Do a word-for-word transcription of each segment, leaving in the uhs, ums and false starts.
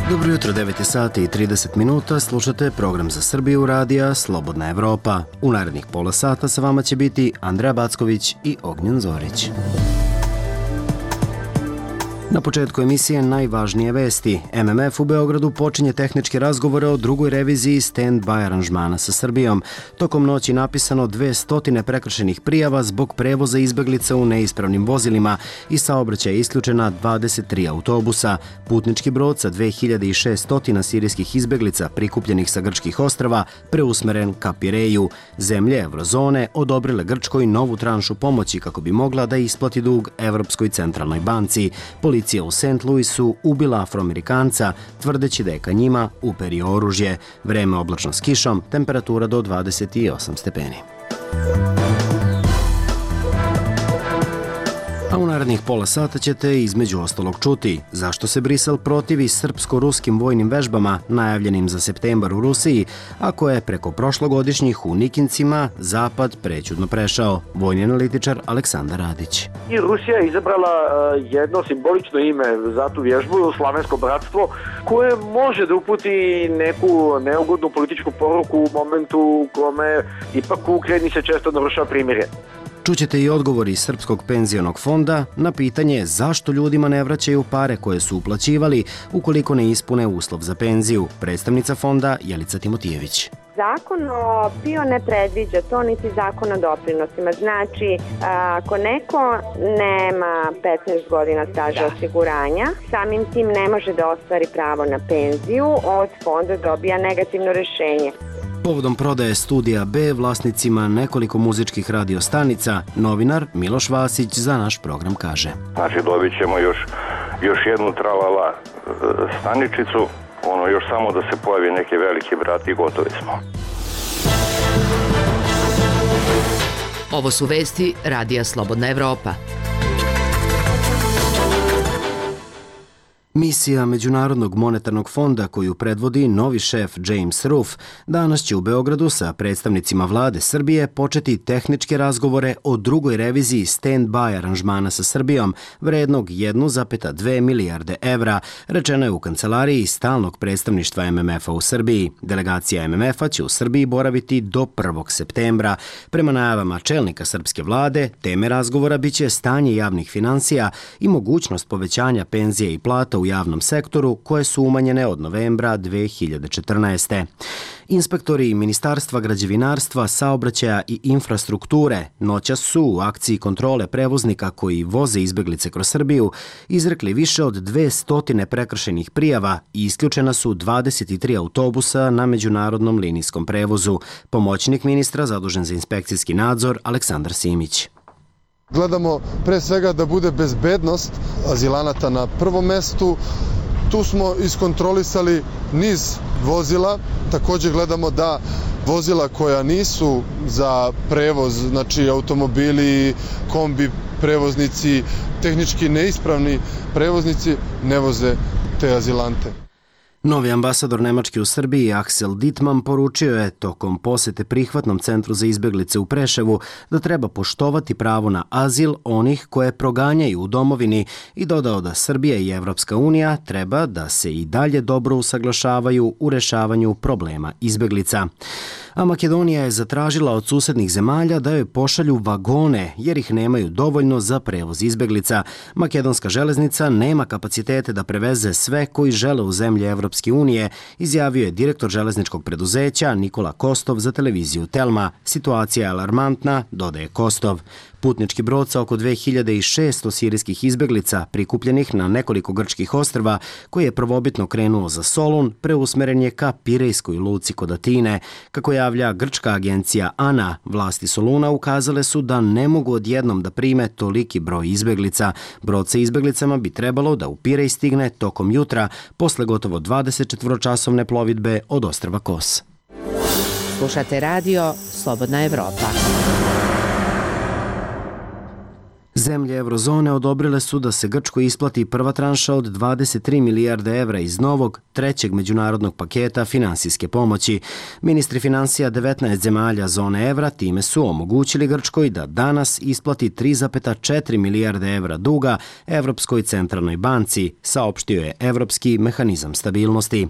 Dobro jutro, devet sati i trideset minuta, slušate program za Srbiju radija Slobodna Evropa. U narednih pola sata sa vama će biti Andreja Backović i Ognjen Zorić. Na početku emisije najvažnije vesti. M M F u Beogradu počinje tehničke razgovore o drugoj reviziji stand-by aranžmana sa Srbijom. Tokom noći napisano dvesta prekršenih prijava zbog prevoza izbeglica u neispravnim vozilima i saobraćaja isključena dvadeset tri autobusa. Putnički brod sa dve hiljade šesto sirijskih izbeglica prikupljenih sa grčkih ostrava preusmeren ka Pireju. Zemlje Evrozone odobrile Grčkoj novu tranšu pomoći kako bi mogla da isplati dug Evropskoj centralnoj banci. Policija u Saint Louisu ubila Afroamerikanca, tvrdeći da je ka njima uperio oružje. Vreme oblačno s kišom, temperatura do dvadeset osam stepeni. A u narednih pola sata ćete između ostalog čuti zašto se Brisel protivi srpsko-ruskim vojnim vežbama najavljenim za septembar u Rusiji, ako je preko prošlogodišnjih u Nikincima Zapad prećudno prešao. Vojni analitičar Aleksandar Radić. I Rusija je izabrala jedno simbolično ime za tu vježbu, Slavensko bratstvo, koje može da uputi neku neugodnu političku poruku u momentu u kome ipak u Ukrajini se često narušava primirje. Čućete i odgovori Srpskog penzionog fonda na pitanje zašto ljudima ne vraćaju pare koje su uplaćivali ukoliko ne ispune uslov za penziju. Predstavnica fonda Jelica Timotijević. Zakon o PIO ne predviđa to, niti zakon o doprinosima. Znači, ako neko nema petnaest godina staža osiguranja, samim tim ne može da ostvari pravo na penziju, od fonda dobija negativno rešenje. Povodom prodaje Studija B vlasnicima nekoliko muzičkih radiostanica, novinar Miloš Vasić za naš program kaže. Znači dobit ćemo još, još jednu tralala staničicu, ono još samo da se pojavi neki veliki brat i gotovi smo. Ovo su vesti Radija Slobodna Evropa. Misija Međunarodnog monetarnog fonda koju predvodi novi šef James Ruff danas će u Beogradu sa predstavnicima vlade Srbije početi tehničke razgovore o drugoj reviziji stand-by aranžmana sa Srbijom vrednog jedna zarez dve milijarde evra, rečeno je u kancelariji stalnog predstavništva M M F-a u Srbiji. Delegacija M M F-a će u Srbiji boraviti do prvog septembra. Prema najavama čelnika srpske vlade, teme razgovora biće stanje javnih finansija i mogućnost povećanja penzije i plata u u javnom sektoru koje su umanjene od novembra dve hiljade četrnaeste. Inspektori Ministarstva građevinarstva, saobraćaja i infrastrukture noćas su u akciji kontrole prevoznika koji voze izbeglice kroz Srbiju izrekli više od dvesta prekršenih prijava i isključena su dvadeset tri autobusa na međunarodnom linijskom prevozu. Pomoćnik ministra zadužen za inspekcijski nadzor Aleksandar Simić. Gledamo pre svega da bude bezbednost azilanata na prvom mestu. Tu smo iskontrolisali niz vozila. Također gledamo da vozila koja nisu za prevoz, znači automobili, kombi prevoznici, tehnički neispravni prevoznici ne voze te azilante. Novi ambasador Nemačke u Srbiji Axel Dittmann poručio je tokom posete prihvatnom centru za izbeglice u Preševu da treba poštovati pravo na azil onih koje proganjaju u domovini i dodao da Srbija i Evropska unija treba da se i dalje dobro usaglašavaju u rešavanju problema izbeglica. A Makedonija je zatražila od susednih zemalja da joj pošalju vagone jer ih nemaju dovoljno za prevoz izbeglica. Makedonska železnica nema kapacitete da preveze sve koji žele u zemlje Evropske unije, izjavio je direktor železničkog preduzeća Nikola Kostov za televiziju Telma. Situacija je alarmantna, dodaje Kostov. Putnički brod sa oko dve hiljade šesto sirijskih izbeglica prikupljenih na nekoliko grčkih ostrva, koji je prvobitno krenuo za Solun, preusmeren je ka Pirejskoj luci kod Atine. Kako javlja grčka agencija ANA, vlasti Soluna ukazale su da ne mogu odjednom da prime toliki broj izbeglica. Brod sa izbeglicama bi trebalo da u Pirej stigne tokom jutra, posle gotovo dvadesetčetvoročasovne plovidbe od ostrva Kos. Slušate radio Slobodna Evropa. Zemlje eurozone odobrile su da se Grčkoj isplati prva tranša od dvadeset tri milijarde evra iz novog, trećeg međunarodnog paketa finansijske pomoći. Ministri finansija devetnaest zemalja zone evra time su omogućili Grčkoj da danas isplati tri zarez četiri milijarde evra duga Evropskoj centralnoj banci, saopštio je Evropski mehanizam stabilnosti.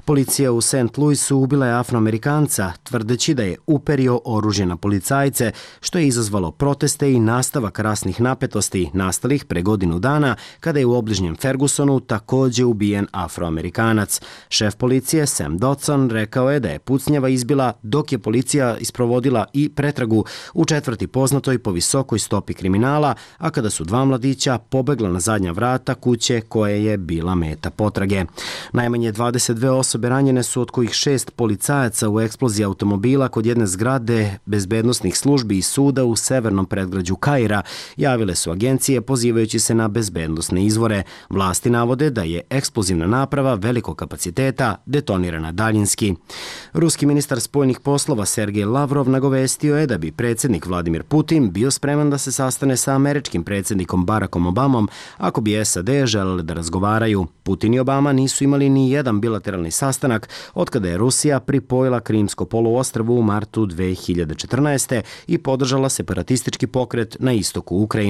Policija u Saint Louisu ubila je Afroamerikanca, tvrdeći da je uperio oružje na policajce, što je izazvalo proteste i nastavak rasnih napetosti nastalih pre godinu dana kada je u obližnjem Fergusonu takođe ubijen Afroamerikanac. Šef policije Sam Dodson rekao je da je pucnjava izbila dok je policija isprovodila i pretragu u četvrti poznatoj po visokoj stopi kriminala, a kada su dva mladića pobegla na zadnja vrata kuće koje je bila meta potrage. Najmanje dvadeset dve osobe ranjene su, od kojih šest policajaca u eksploziji automobila kod jedne zgrade bezbednosnih službi i suda u severnom predgrađu Kaira, javile su agencije pozivajući se na bezbednosne izvore. Vlasti navode da je eksplozivna naprava velikog kapaciteta detonirana daljinski. Ruski ministar spoljnih poslova Sergej Lavrov nagovestio je da bi predsjednik Vladimir Putin bio spreman da se sastane sa američkim predsjednikom Barackom Obamom ako bi S A D želele da razgovaraju. Putin i Obama nisu imali ni jedan bilateralni sastanak otkada je Rusija pripojila Krimsko poluostrvo u martu dve hiljade četrnaeste. i podržala separatistički pokret na istoku Ukrajine.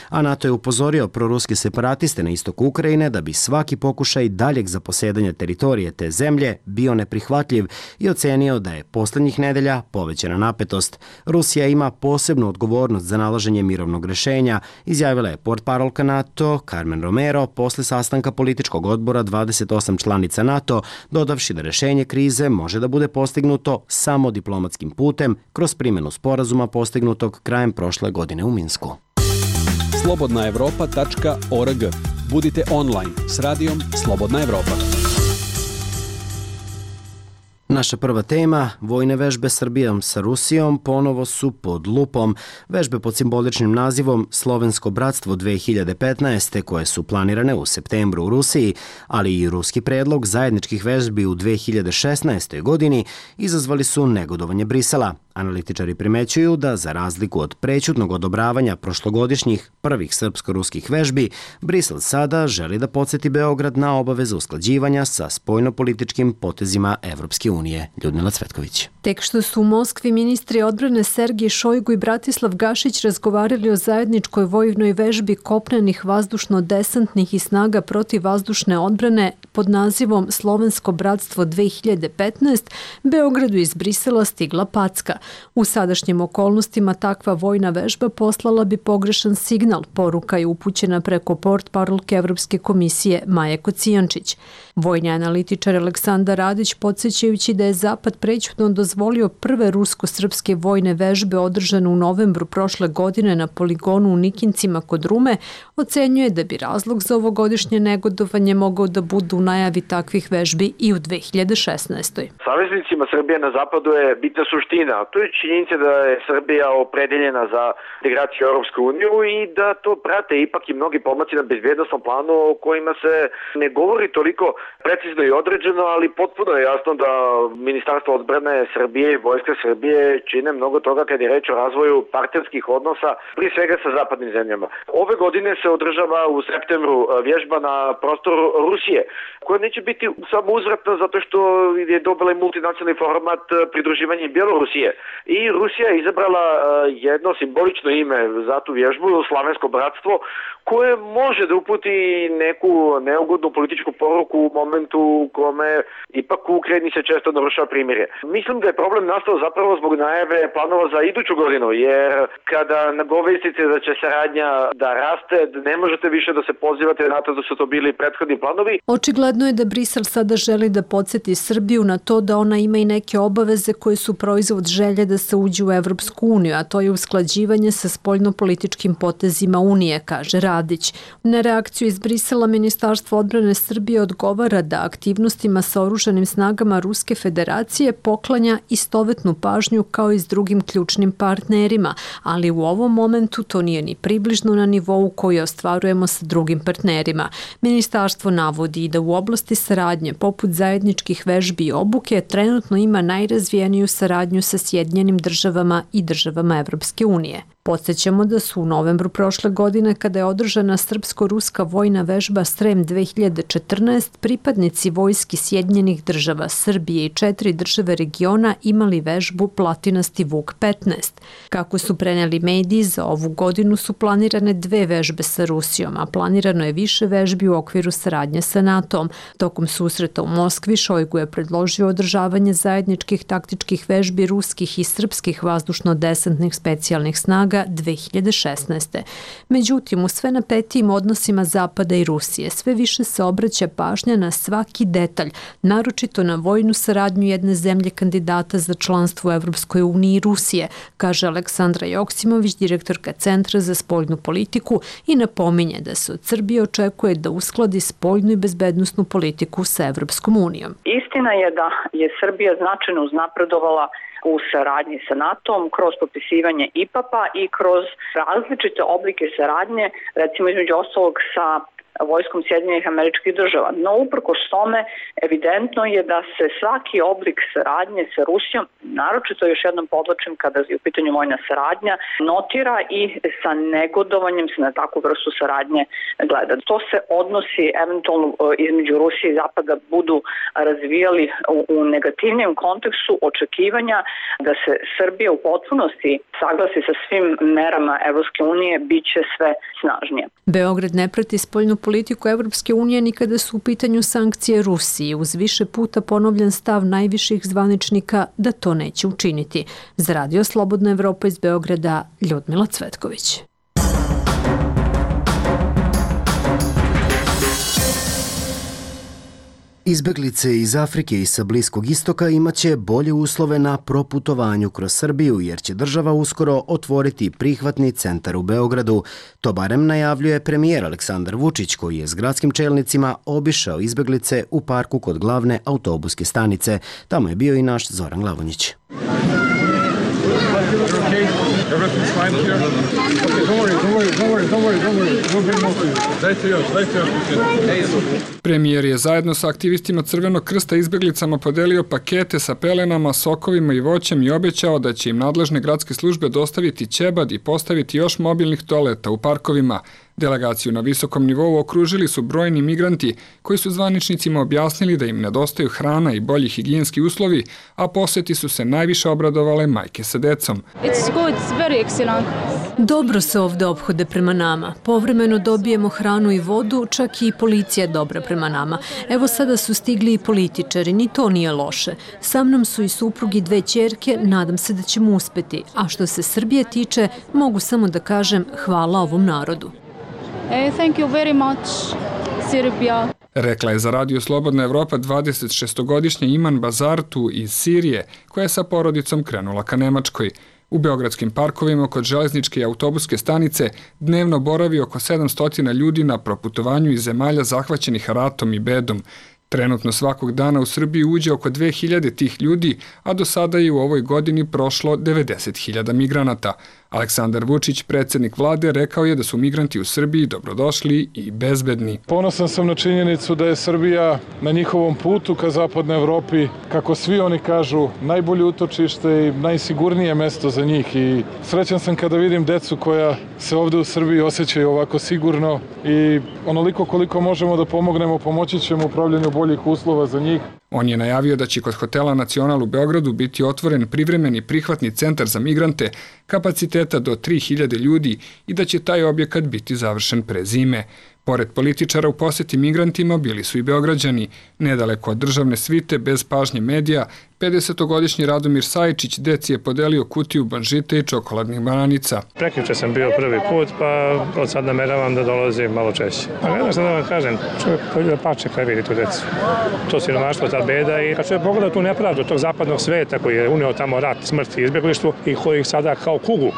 A NATO je upozorio proruske separatiste na istoku Ukrajine da bi svaki pokušaj daljeg zaposedanja teritorije te zemlje bio neprihvatljiv i ocenio da je poslednjih nedelja povećana napetost. Rusija ima posebnu odgovornost za nalaženje mirovnog rešenja, izjavila je portparolka NATO Carmen Romero posle sastanka političkog odbora dvadeset osam članica NATO, dodavši da rešenje krize može da bude postignuto samo diplomatskim putem kroz primjenu sporazuma postignutog krajem prošle godine u Minsku. slobodna evropa tačka org. Budite online s radijom Slobodna Evropa. Naša prva tema, vojne vežbe Srbijom sa Rusijom, ponovo su pod lupom. Vežbe pod simboličnim nazivom Slovensko bratstvo dve hiljade petnaeste. koje su planirane u septembru u Rusiji, ali i ruski predlog zajedničkih vežbi u dve hiljade šesnaestoj. godini izazvali su negodovanje Brisela. Analitičari primećuju da, za razliku od prećutnog odobravanja prošlogodišnjih prvih srpsko-ruskih vežbi, Brisel sada želi da podsjeti Beograd na obaveze usklađivanja sa spoljnopolitičkim potezima Evropske unije. Ljudmila Cvetković. Tek što su u Moskvi ministri odbrane Sergij Šojgu i Bratislav Gašić razgovarali o zajedničkoj vojnoj vežbi kopnenih vazdušno-desantnih i snaga protivvazdušne odbrane pod nazivom Slovensko bratstvo dve hiljade petnaeste, Beogradu iz Brisela stigla packa. U sadašnjim okolnostima takva vojna vežba poslala bi pogrešan signal, poruka je upućena preko portparolke Evropske komisije Maje Kocijančić. Vojni analitičar Aleksandar Radić, podsjećajući da je Zapad prećutno dozvolio prve rusko-srpske vojne vežbe održane u novembru prošle godine na poligonu u Nikincima kod Rume, ocenjuje da bi razlog za ovogodišnje negodovanje mogao da budu u najavi takvih vežbi i u dve hiljade šesnaestoj. Saveznicima Srbije na zapadu je bitna suština. To je činjenica da je Srbija opredeljena za integraciju u Europsku uniju i da to prate ipak i mnogi pomaci na bezbjednosnom planu o kojima se ne govori toliko precizno i određeno, ali potpuno je jasno da Ministarstvo odbrane Srbije i Vojska Srbije čine mnogo toga kad je reč o razvoju partnerskih odnosa, prije svega sa zapadnim zemljama. Ove godine se održava u septembru vježba na prostoru Rusije, koja neće biti samo uzvratna zato što je dobila i multinacionalni format pridruživanja Bjelorusije. I Rusija je izabrala jedno simbolično ime za tu vježbu, Slavensko bratstvo, koje može da uputi neku neugodnu političku poruku u momentu u kome ipak u Ukrajini se često narušava primirje. Mislim da je problem nastao zapravo zbog najave planova za iduću godinu, jer kada nagovestite da će saradnja da raste, ne možete više da se pozivate na to da su to bili prethodni planovi. Očigledno je da Brisel sada želi da podsjeti Srbiju na to da ona ima i neke obaveze koje su proizvod želje da se uđe u Evropsku uniju, a to je usklađivanje sa spoljnopolitičkim potezima Unije, kaže Radić. Na reakciju iz Brisela Ministarstvo odbrane Srbije odgovara da aktivnostima sa oružanim snagama Ruske federacije poklanja istovetnu pažnju kao i s drugim ključnim partnerima, ali u ovom momentu to nije ni približno na nivou koji ostvarujemo sa drugim partnerima. Ministarstvo navodi da u oblasti saradnje poput zajedničkih vežbi i obuke trenutno ima najrazvijeniju saradnju sa Sjedinjenim Sjedinjenim državama i državama Evropske unije. Podsjećamo da su u novembru prošle godine, kada je održana srpsko-ruska vojna vežba Srem dve hiljade četrnaest, pripadnici vojski Sjedinjenih država, Srbije i četiri države regiona imali vežbu Platinasti Vuk petnaest. Kako su preneli mediji, za ovu godinu su planirane dve vežbe sa Rusijom, a planirano je više vežbi u okviru saradnje sa NATO-om. Tokom susreta u Moskvi Šojgu je predložio održavanje zajedničkih taktičkih vežbi ruskih i srpskih vazdušno-desantnih specijalnih snaga dve hiljade šesnaeste. Međutim, u sve napetijim odnosima Zapada i Rusije sve više se obraća pažnja na svaki detalj, naročito na vojnu saradnju jedne zemlje kandidata za članstvo u Evropskoj uniji i Rusije, kaže Aleksandra Joksimović, direktorka Centra za spoljnu politiku, i napominje da se od Srbije očekuje da uskladi spoljnu i bezbednosnu politiku sa Evropskom unijom. Istina je da je Srbija značajno uznapredovala u saradnji sa NATO-om kroz potpisivanje I P A P-a i kroz različite oblike saradnje, recimo između ostalog sa vojskom Sjedinjenih Američkih Država. No, uprkos tome, evidentno je da se svaki oblik saradnje sa Rusijom, naročito još jednom podlačim kada je u pitanju vojna saradnja, notira i sa negodovanjem se na takvu vrstu saradnje gleda. To se odnosi eventualno između Rusije i Zapada budu razvijali u, u negativnijem kontekstu očekivanja da se Srbija u potpunosti saglasi sa svim merama Evropske unije, bit će sve snažnije. Beograd ne prati spoljnu politiku Evropske unije ni kada su u pitanju sankcije Rusiji, uz više puta ponovljen stav najviših zvaničnika da to neće učiniti. Za Radio Slobodna Evropa iz Beograda, Ljudmila Cvetković. Izbeglice iz Afrike i sa Bliskog istoka imaće bolje uslove na proputovanju kroz Srbiju, jer će država uskoro otvoriti prihvatni centar u Beogradu. To barem najavljuje premijer Aleksandar Vučić, koji je s gradskim čelnicima obišao izbeglice u parku kod glavne autobuske stanice. Tamo je bio i naš Zoran Glavonjić. Premijer je zajedno sa aktivistima Crvenog krsta izbeglicama podelio pakete sa pelenama, sokovima i voćem i obećao da će im nadležne gradske službe dostaviti ćebad i postaviti još mobilnih toaleta u parkovima. Delegaciju na visokom nivou okružili su brojni migranti koji su zvaničnicima objasnili da im nedostaju hrana i bolji higijenski uslovi, a poseti su se najviše obradovale majke sa decom. Dobro se ovde ophode prema nama. Povremeno dobijemo hranu i vodu, čak i policija dobra prema nama. Evo sada su stigli i političari, ni to nije loše. Sa mnom su i suprugi dve ćerke, nadam se da ćemo uspeti. A što se Srbije tiče, mogu samo da kažem hvala ovom narodu. Thank you very much, Serbia. Rekla je za Radio Slobodna Evropa dvadesetšestogodišnja Iman Bazartu iz Sirije, koja je sa porodicom krenula ka Nemačkoj. U beogradskim parkovima kod železničke i autobuske stanice dnevno boravi oko sedamsto ljudi na proputovanju iz zemalja zahvaćenih ratom i bedom. Trenutno svakog dana u Srbiji uđe oko dve hiljade tih ljudi, a do sada je u ovoj godini prošlo devedeset hiljada migranata. Aleksandar Vučić, predsjednik vlade, rekao je da su migranti u Srbiji dobrodošli i bezbedni. Ponosan sam na činjenicu da je Srbija na njihovom putu ka zapadnoj Evropi, kako svi oni kažu, najbolje utočište i najsigurnije mesto za njih. I srećan sam kada vidim decu koja se ovde u Srbiji osjećaju ovako sigurno i onoliko koliko možemo da pomognemo, pomoći ćemo u upravljanju boljih uslova za njih. On je najavio da će kod hotela Nacional u Beogradu biti otvoren privremeni prihvatni centar za migrante kapaciteta do tri hiljade ljudi i da će taj objekat biti završen pre zime. Pored političara u poseti migrantima bili su i Beograđani. Nedaleko od državne svite, bez pažnje medija, pedesetogodišnji Radomir Sajičić deci je podelio kutiju banžite i čokoladnih bananica. Prekjuče sam bio prvi put, pa od sad nameravam da dolazim malo češće. A ne znam šta da vam kažem, čovjek poljuba pače kada vidi tu decu. To siromaštvo, ta beda i kad čovjek pogleda tu nepravdu tog zapadnog sveta koji je uneo tamo rat, smrt i izbjeglištvo i koji ih sada kao kugu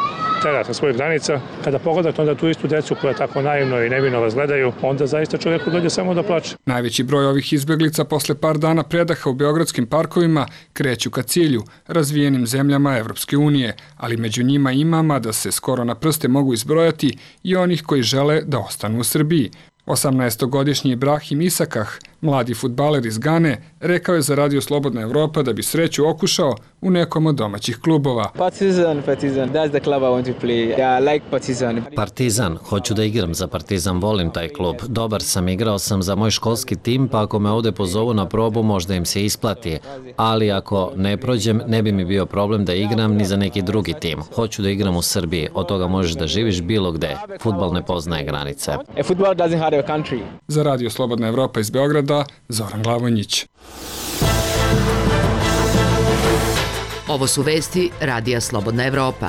tera sa svojih granica, kada pogledate onda tu istu decu koja tako naivno i nevino vas gledaju, onda zaista čovjeku dođe samo da plače. Najveći broj ovih izbjeglica posle par dana predaha u beogradskim parkovima kreću ka cilju, razvijenim zemljama Evropske unije, ali među njima ima, mada se skoro na prste mogu izbrojati, i onih koji žele da ostanu u Srbiji. osamnaestogodišnji Ibrahim Isakah Mladi fudbaler iz Gane rekao je za Radio Slobodna Evropa da bi sreću okušao u nekom od domaćih klubova. Partizan, Partizan, that's the club I want to play. Yeah, I like Partizan. Partizan, hoću da igram za Partizan, volim taj klub. Dobar sam, igrao sam za moj školski tim, pa ako me ovde pozovu na probu, možda im se isplati. Ali ako ne prođem, ne bi mi bio problem da igram ni za neki drugi tim. Hoću da igram u Srbiji, od toga možeš da živiš bilo gde. Fudbal ne poznaje granice. Football doesn't have a country. Za Radio Slobodna Evropa iz Beograda, Zoran Glavonjić. Ovo su vesti Radija Slobodna Evropa.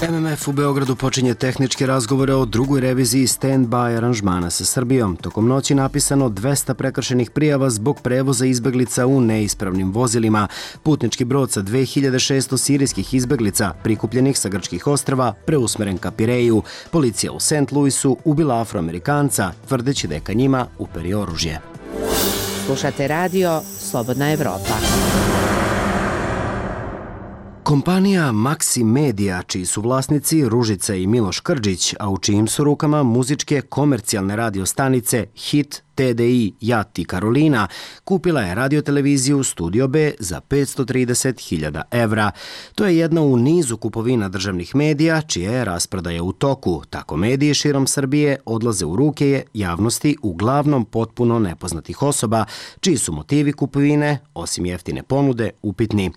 em em ef u Beogradu počinje tehničke razgovore o drugoj reviziji stand-by aranžmana sa Srbijom. Tokom noći napisano dvesta prekršenih prijava zbog prevoza izbeglica u neispravnim vozilima. Putnički brod sa dve hiljade šesto sirijskih izbeglica prikupljenih sa grčkih ostrva preusmeren ka Pireju. Policija u Saint Louisu ubila Afroamerikanca, tvrdeći da je ka njima uperio oružje. Slušate radio Slobodna Evropa. Kompanija Maxi Media, čiji su vlasnici Ružica i Miloš Krđić, a u čijim su rukama muzičke komercijalne radiostanice Hit, T D I, Jat i Karolina, kupila je radioteleviziju Studio B za petsto trideset hiljada evra. To je jedna u nizu kupovina državnih medija, čija je rasprodaja u toku. Tako mediji širom Srbije odlaze u ruke je javnosti uglavnom potpuno nepoznatih osoba, čiji su motivi kupovine, osim jeftine ponude, upitni.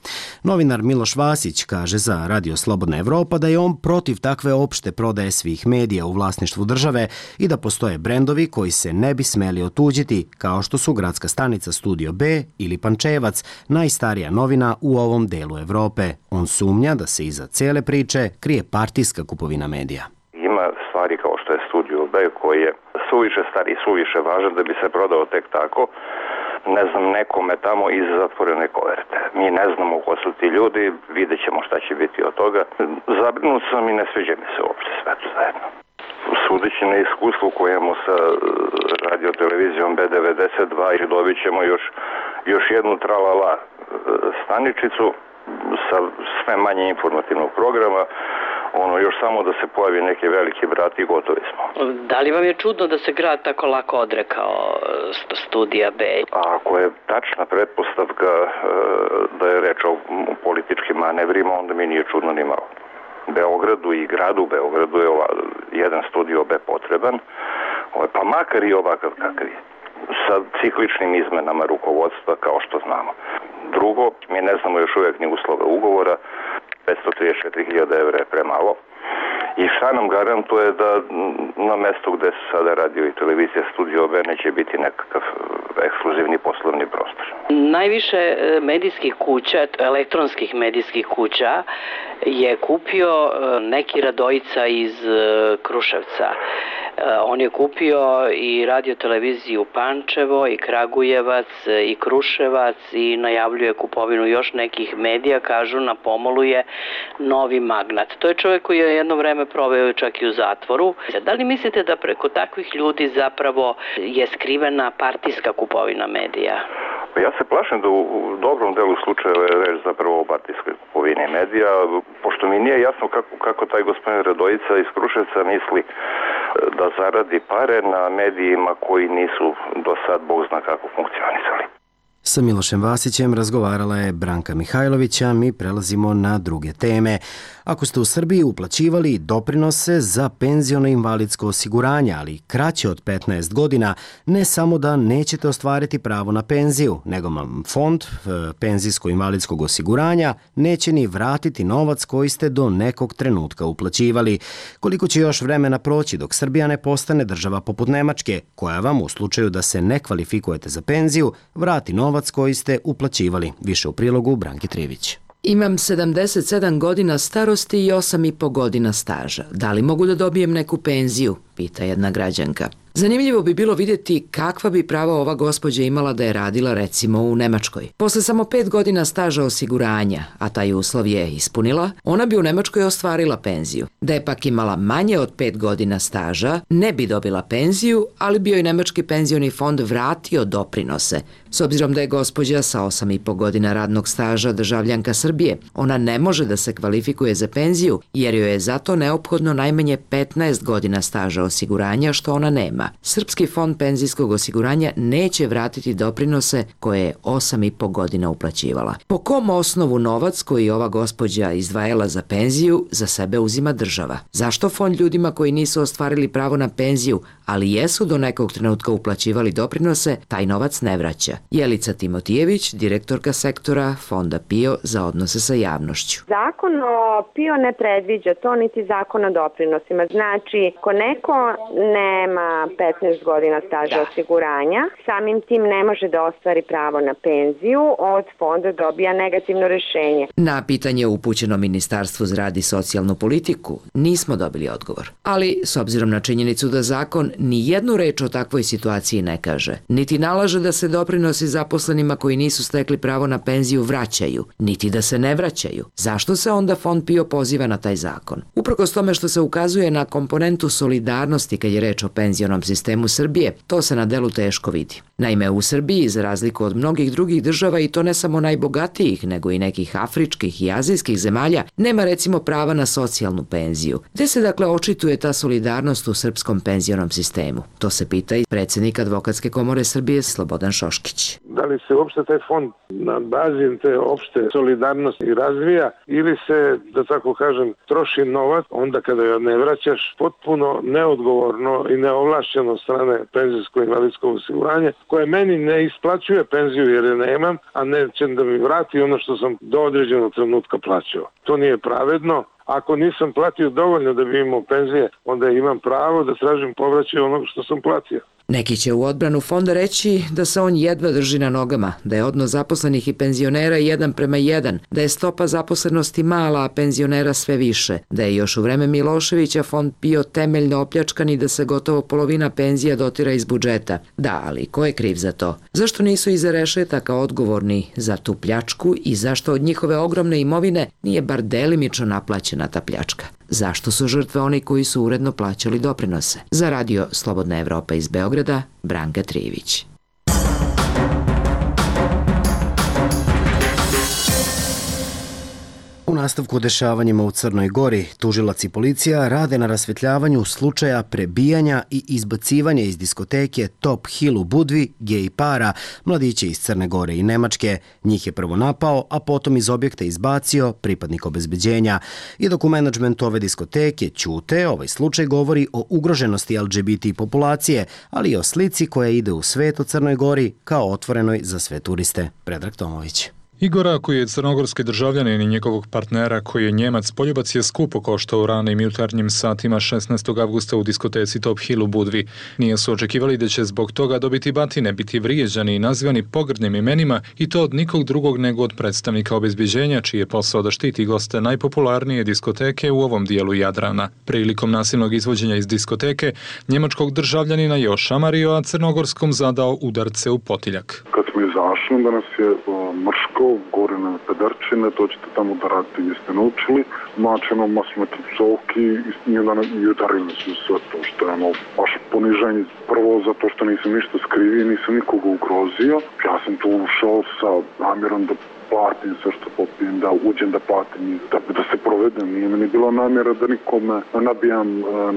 Novinar Miloš Vasić kaže za Radio Slobodna Evropa da je on protiv takve opšte prodaje svih medija u vlasništvu države i da postoje brendovi koji se ne bi smeli otuđiti, kao što su Gradska stanica Studio B ili Pančevac, najstarija novina u ovom delu Evrope. On sumnja da se iza cele priče krije partijska kupovina medija. Ima stvari kao što je Studio B koji je suviše stari i suviše važan da bi se prodao tek tako, ne znam, nekome tamo iz zatvorene koverte. Mi ne znamo ko su ti ljudi, vidjet ćemo šta će biti od toga. Zabrinut sam i ne sviđa mi se uopšte sve to zajedno. Sudeći na iskustvu koje imamo sa radiotelevizijom B devedeset dva i dobit ćemo još, još jednu tralala staničicu sa sve manje informativnog programa, ono još samo da se pojavi neki veliki brat i gotovi smo. Da li vam je čudno da se grad tako lako odrekao Studija B? A ako je tačna pretpostavka da je reč o političkim manevrima, onda mi nije čudno ni malo. Beogradu i gradu Beogradu je ova, jedan Studio B potreban, pa makar i ovakav kakav je, sa cikličnim izmenama rukovodstva kao što znamo. Drugo, mi ne znamo još uvijek ni uslove ugovora, petsto trideset četiri hiljade evra je premalo. I šta nam garantuje da na mestu gde se sada radio i televizija Studio B neće biti nekakav ekskluzivni poslovni prostor. Najviše medijskih kuća, elektronskih medijskih kuća je kupio neki Radojica iz Kruševca. On je kupio i radioteleviziju Pančevo i Kragujevac i Kruševac i najavljuje kupovinu još nekih medija, kažu na pomolu je novi magnat. To je čovjek koji je jedno vreme proveo čak i u zatvoru. Da li mislite da preko takvih ljudi zapravo je skrivena partijska kupovina medija? Ja se plašim da u dobrom delu slučajeva je reč zapravo o partijskoj kupovini medija, pošto mi nije jasno kako, kako taj gospodin Radojica iz Kruševca misli da zaradi pare na medijima koji nisu do sad bog zna kako funkcionisali. Sa Milošem Vasićem razgovarala je Branka Mihajlović, a mi prelazimo na druge teme. Ako ste u Srbiji uplaćivali doprinose za penziono-invalidsko osiguranje, ali kraće od petnaest godina, ne samo da nećete ostvariti pravo na penziju, nego vam fond penzijsko-invalidskog osiguranja neće ni vratiti novac koji ste do nekog trenutka uplaćivali. Koliko će još vremena proći dok Srbija ne postane država poput Nemačke, koja vam u slučaju da se ne kvalifikujete za penziju, vrati novac koji ste uplaćivali. Više u prilogu Branki Trivić. Imam sedamdeset sedam godina starosti i osam i po godina staža. Da li mogu da dobijem neku penziju? Pita jedna građanka. Zanimljivo bi bilo vidjeti kakva bi prava ova gospođa imala da je radila recimo u Nemačkoj. Posle samo pet godina staža osiguranja, a taj uslov je ispunila, ona bi u Nemačkoj ostvarila penziju. Da je pak imala manje od pet godina staža, ne bi dobila penziju, ali bi joj Nemački penzioni fond vratio doprinose. S obzirom da je gospođa sa osam i po godina radnog staža državljanka Srbije, ona ne može da se kvalifikuje za penziju jer joj je zato neophodno najmanje petnaest godina staža osiguranja, što ona nema. Srpski fond penzijskog osiguranja neće vratiti doprinose koje je osam i po godina uplaćivala. Po kom osnovu novac koji ova gospođa izdvajala za penziju za sebe uzima država? Zašto fond ljudima koji nisu ostvarili pravo na penziju, ali jesu do nekog trenutka uplaćivali doprinose, taj novac ne vraća? Jelica Timotijević, direktorka sektora Fonda PIO za odnose sa javnošću. Zakon o PIO ne predviđa to, niti zakon o doprinosima. Znači, ako neko nema petnaest godina staža da. osiguranja, samim tim ne može da ostvari pravo na penziju, od fonda dobija negativno rešenje. Na pitanje upućeno Ministarstvu za rad i socijalnu politiku nismo dobili odgovor. Ali, s obzirom na činjenicu da zakon ni jednu reč o takvoj situaciji ne kaže, niti nalaže da se doprinosi zaposlenima koji nisu stekli pravo na penziju vraćaju, niti da se ne vraćaju, zašto se onda Fond PIO poziva na taj zakon? Uprkos tome što se ukazuje na komponentu solidarnosti kad je reč o penzionom sistemu Srbije, to se na delu teško vidi. Naime, u Srbiji, za razliku od mnogih drugih država, i to ne samo najbogatijih, nego i nekih afričkih i azijskih zemalja, nema recimo prava na socijalnu penziju. Gde se dakle očituje ta solidarnost u srpskom penzionom sistemu? To se pita i predsjednik Advokatske komore Srbije Slobodan Šoškić. Da li se uopšte taj fond na bazi te opšte solidarnosti razvija ili se, da tako kažem, troši novac onda kada joj ne vraćaš, potpuno neodgovorno i neovlašćeno strane penzijsko-invalidskog osiguranja, koje meni ne isplaćuje penziju jer je nemam, a neće da mi vrati ono što sam do određenog trenutka plaćao. To nije pravedno. Ako nisam platio dovoljno da bi imao penzije, onda imam pravo da tražim povraćaj onog što sam platio. Neki će u odbranu fonda reći da se on jedva drži na nogama, da je odnos zaposlenih i penzionera jedan prema jedan, da je stopa zaposlenosti mala, a penzionera sve više, da je još u vreme Miloševića fond PIO temeljno opljačkan i da se gotovo polovina penzija dotira iz budžeta. Da, ali ko je kriv za to? Zašto nisu iza rešetaka odgovorni za tu pljačku i zašto od njihove ogromne imovine nije bar delimično naplaćena ta pljačka? Zašto su žrtve oni koji su uredno plaćali doprinose? Za radio Slobodna Evropa iz Beograda, Branka Trijević. U nastavku dešavanjima u Crnoj Gori, tužilac i policija rade na rasvetljavanju slučaja prebijanja i izbacivanja iz diskoteke Top Hill u Budvi gej para, mladiće iz Crne Gore i Nemačke. Njih je prvo napao, a potom iz objekta izbacio pripadnik obezbeđenja. I dok u menadžmentu ove diskoteke ćute, ovaj slučaj govori o ugroženosti L G B T populacije, ali i o slici koja ide u svet o Crnoj Gori kao otvorenoj za sve turiste. Predrag Tomović. Igora, koji je crnogorski državljanin i njegovog partnera koji je Njemac, poljubac je skupo koštao u ranim jutarnjim satima šesnaestog avgusta u diskoteci Top Hill u Budvi. Nije su očekivali da će zbog toga dobiti batine, biti vrijeđani i nazivani pogrdnim imenima, i to od nikog drugog nego od predstavnika obezbeđenja, čiji je posao da štiti goste najpopularnije diskoteke u ovom dijelu Jadrana. Prilikom nasilnog izvođenja iz diskoteke, njemačkog državljanina je ošamario, a crnogorskom zadao udarce u potiljak. Kad smo izašli, da nas je mrško, gore na pederčine, to ćete tamo da radite, jeste naučili, mačeno masmete psovki i onda i udarili su sve to, što je ono baš poniženje. Prvo zato što nisam ništa skrivio, nisam nikoga ugrozio. Ja sam tu ušao sa namjerom da platim sve što popijem, da uđem da platim i da, da se provedem. Nije meni bila namjera da nikome nabijam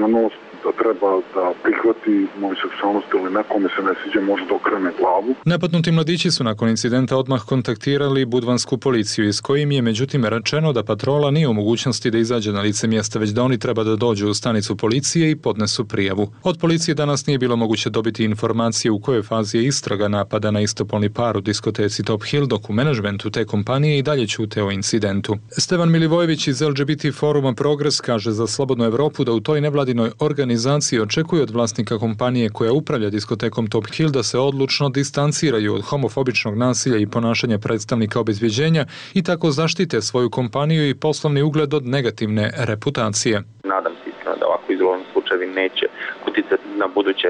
na nos, da treba da prihvati moju seksualnost ili nekome se ne sviđa, može da okrene glavu. Napadnuti mladići su nakon incidenta odmah kontaktirali budvansku policiju, iz kojim je međutim rečeno da patrola nije u mogućnosti da izađe na lice mjesta, već da oni treba da dođu u stanicu policije i podnesu prijavu. Od policije danas nije bilo moguće dobiti informacije u kojoj fazi je istraga napada na istopolni par u diskoteci Top Hill, dok u menadžmentu te kompanije i dalje ćute o incidentu. Stevan Milivojević iz L G B T foruma Progres kaže za Slobodnu Evropu da u toj nevladinoj organizaciji očekuje od vlasnika kompanije koja upravlja diskotekom Top Hill da se odlučno distanciraju od homofobičnog nasilja i ponašanja predstavnika obezbeđenja i tako zaštite svoju kompaniju i poslovni ugled od negativne reputacije. Nadam se iskreno da ovako izgovorni slučajevi neće uticati na buduće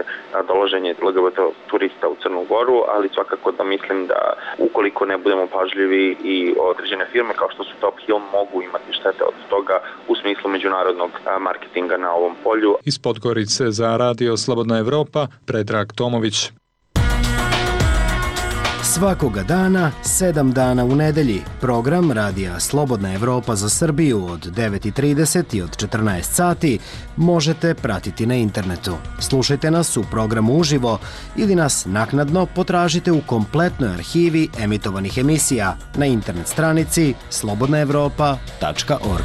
dolaženje L G B T turista u Crnu Goru, ali svakako da mislim da ukoliko ne budemo pažljivi i određene firme kao što su Top Hill mogu imati štete od toga u smislu međunarodnog marketinga na ovom polju. Iz Podgorice za Radio Slobodna Evropa, Predrag Tomović. Svakoga dana, sedam dana u nedelji, program Radija Slobodna Evropa za Srbiju od devet i trideset i od četrnaest sati možete pratiti na internetu. Slušajte nas u programu uživo ili nas naknadno potražite u kompletnoj arhivi emitovanih emisija na internet stranici slobodna evropa tačka org.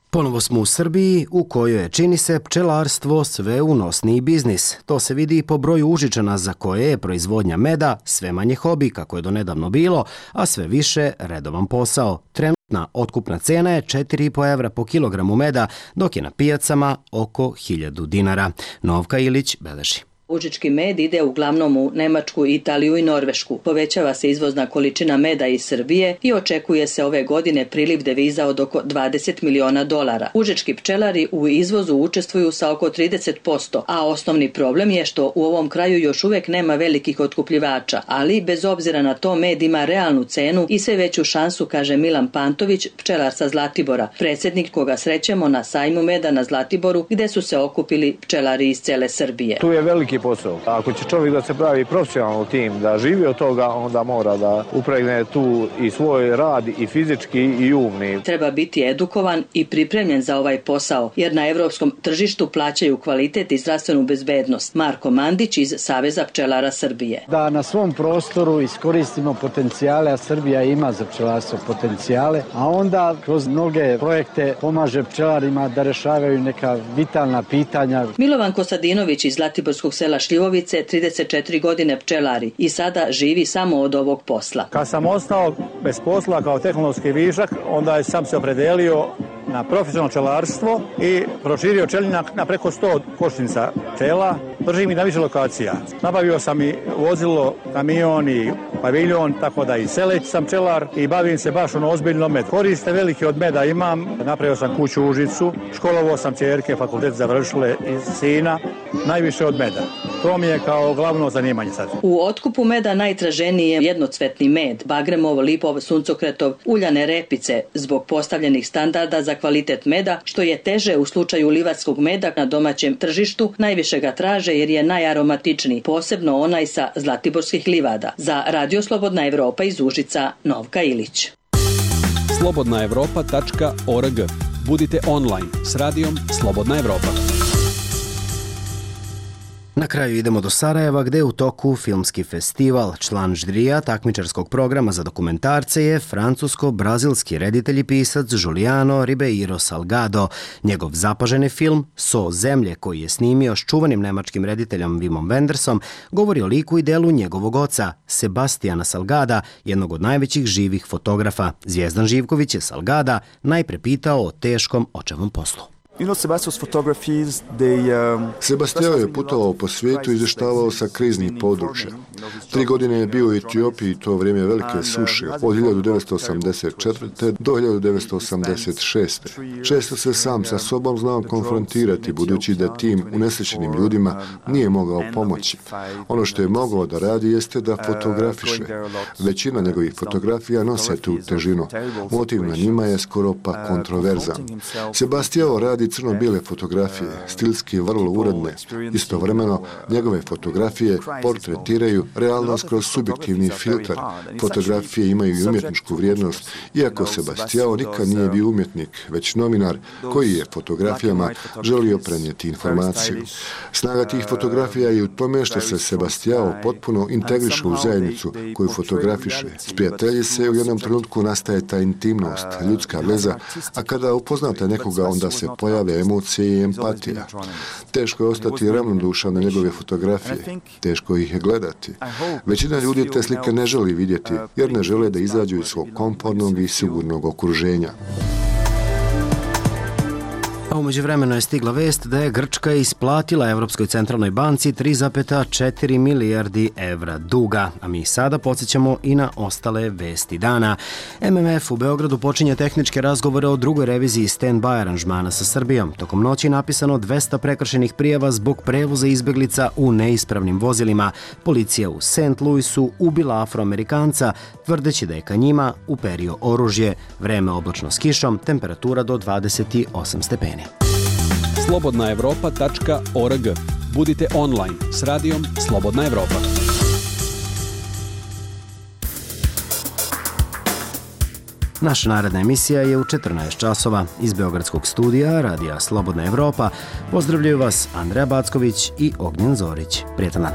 Ponovo smo u Srbiji, u kojoj je, čini se, pčelarstvo sve unosniji biznis. To se vidi i po broju Užičana za koje je proizvodnja meda sve manje hobi, kako je donedavno bilo, a sve više redovan posao. Trenutna otkupna cena je četiri i po evra po kilogramu meda, dok je na pijacama oko hiljadu dinara. Novka Ilić beleži. Užički med ide uglavnom u Nemačku, Italiju i Norvešku. Povećava se izvozna količina meda iz Srbije i očekuje se ove godine priliv deviza od oko dvadeset miliona dolara. Užički pčelari u izvozu učestvuju sa oko trideset posto, a osnovni problem je što u ovom kraju još uvek nema velikih otkupljivača, ali bez obzira na to med ima realnu cenu i sve veću šansu, kaže Milan Pantović, pčelar sa Zlatibora, predsjednik koga srećemo na sajmu meda na Zlatiboru, gde su se okupili pčelari iz cele Srbije. Tu je veliki posao. Ako će čovjek da se pravi profesionalno tim, da živi od toga, onda mora da upregne tu i svoj rad i fizički i umni. Treba biti edukovan i pripremljen za ovaj posao, jer na evropskom tržištu plaćaju kvalitet i zdravstvenu bezbednost. Marko Mandić iz Saveza pčelara Srbije. Da na svom prostoru iskoristimo potencijale, a Srbija ima za pčelarstvo potencijale, a onda kroz mnoge projekte pomaže pčelarima da rešavaju neka vitalna pitanja. Milovan Kostadinović iz Zlatiborskog sela Šljivovice, trideset četiri godine pčelari i sada živi samo od ovog posla. Kad sam ostao bez posla kao tehnološki višak, onda sam se opredelio na profesionalno pčelarstvo i proširio pčelinjak na preko sto košnica pčela. Držim i na više lokacija. Nabavio sam i vozilo, kamion i paviljon, tako da i seleć sam pčelar i bavim se baš ono ozbiljno med. Koriste velike od meda imam, napravio sam kuću u Užicu, školovao sam ćerke, fakultet završile i sina, najviše od meda. To mi je kao glavno zanimanje sad. U otkupu meda najtraženiji je jednocvetni med, bagremov, lipov, suncokretov, uljane repice, zbog postavljenih standarda za kvalitet meda, što je teže u slučaju livarskog meda na domaćem tržištu, najviše ga traže jer je najaromatičniji, posebno onaj sa zlatiborskih livada. Za Radio Slobodna Evropa iz Užica, Novka Ilić. slobodna evropa tačka org. Budite online s radijom Slobodna Evropa. Na kraju idemo do Sarajeva, gde je u toku filmski festival. Član žirija takmičarskog programa za dokumentarce je francusko-brazilski reditelj i pisac Juliano Ribeiro Salgado. Njegov zapaženi film So zemlje, koji je snimio s čuvanim nemačkim rediteljom Wimom Wendersom, govori o liku i delu njegovog oca, Sebastijana Salgada, jednog od najvećih živih fotografa. Zvijezdan Živković je Salgada najpre pitao o teškom očevom poslu. Sebastijao je putovao po svijetu i izvještavao sa kriznih područja. Tri godine je bio u Etiopiji i to vrijeme velike suše, od hiljadu devetsto osamdeset četvrte. do hiljadu devetsto osamdeset šeste. Često se sam sa sobom znao konfrontirati, budući da tim unesrećenim ljudima nije mogao pomoći. Ono što je mogao da radi jeste da fotografiše. Većina njegovih fotografija nose tu težinu. Motiv na njima je skoro pa kontroverzan. Sebastijao radi crno-bijele fotografije, stilski vrlo uredne. Istovremeno, njegove fotografije portretiraju realnost kroz subjektivni filter. Fotografije imaju i umjetničku vrijednost, iako Sebastijao nikad nije bio umjetnik, već novinar koji je fotografijama želio prenijeti informaciju. Snaga tih fotografija je u tome što se Sebastijao potpuno integriše u zajednicu koju fotografiše. Sprijatelji se u jednom trenutku nastaje ta intimnost, ljudska veza, a kada upoznate nekoga, onda se pojave emocije i empatija. Teško je ostati ravnodušan na njegove fotografije, teško ih je gledati. Većina ljudi te slike ne želi vidjeti, jer ne žele da izađu iz svog komfortnog i sigurnog okruženja. A umeđu vremenu je stigla vest da je Grčka isplatila Evropskoj centralnoj banci tri zarez četiri milijardi evra duga. A mi sada podsjećamo i na ostale vesti dana. M M F u Beogradu počinje tehničke razgovore o drugoj reviziji stand-by aranžmana sa Srbijom. Tokom noći je napisano dvesta prekršenih prijava zbog prevoza izbeglica u neispravnim vozilima. Policija u Saint Louisu ubila Afroamerikanca, tvrdeći da je ka njima uperio oružje. Vreme oblačno s kišom, temperatura do dvadeset osam stepeni. slobodna evropa tačka org. Budite online s radijom Slobodna Evropa. Naša naredna emisija je u četrnaest časova. Iz Beogradskog studija Radija Slobodna Evropa pozdravljaju vas Andreja Backović i Ognjen Zorić. Prijetan dan.